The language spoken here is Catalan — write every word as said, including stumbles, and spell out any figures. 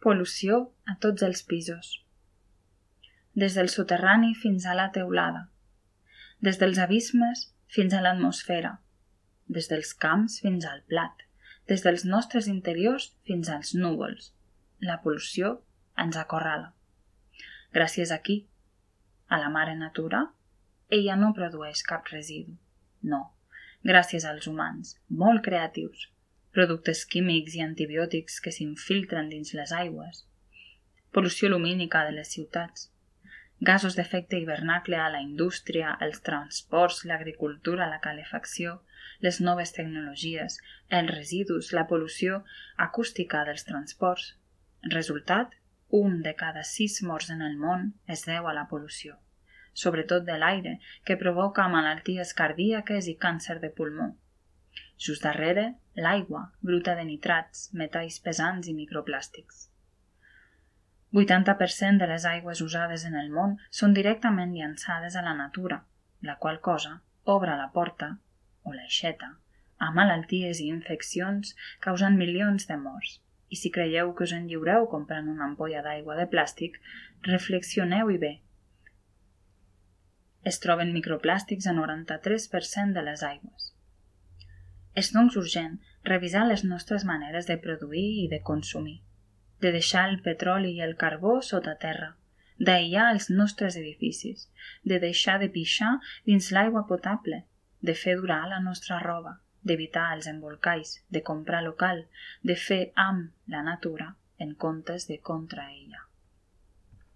Pol·lució a tots els pisos. Des del soterrani fins a la teulada. Des dels abismes fins a l'atmosfera. Des dels camps fins al plat. Des dels nostres interiors fins als núvols. La pol·lució ens acorrala. Gràcies a qui? A la mare natura? Ella no produeix cap residu. No, gràcies als humans, molt creatius, productes químics i antibiòtics que s'infiltren dins les aigües, pol·lució lumínica de les ciutats, gasos d'efecte hivernacle a la indústria, els transports, l'agricultura, la calefacció, les noves tecnologies, els residus, la pol·lució acústica dels transports. Resultat, un de cada sis morts en el món es deu a la pol·lució, sobretot de l'aire, que provoca malalties cardíaques i càncer de pulmó. Just darrere, l'aigua, bruta de nitrats, metalls pesants i microplàstics. vuitanta per cent de les aigües usades en el món són directament llançades a la natura, la qual cosa obre la porta, o l'aixeta, a malalties i infeccions causant milions de morts. I si creieu que us en lliureu comprant una ampolla d'aigua de plàstic, reflexioneu-hi bé. Es troben microplàstics a noranta-tres per cent de les aigües. És doncs urgent revisar les nostres maneres de produir i de consumir, de deixar el petroli i el carbó sota terra, d'aïllar els nostres edificis, de deixar de pixar dins l'aigua potable, de fer durar la nostra roba, d'evitar els embolcalls, de comprar local, de fer amb la natura en comptes de contra ella.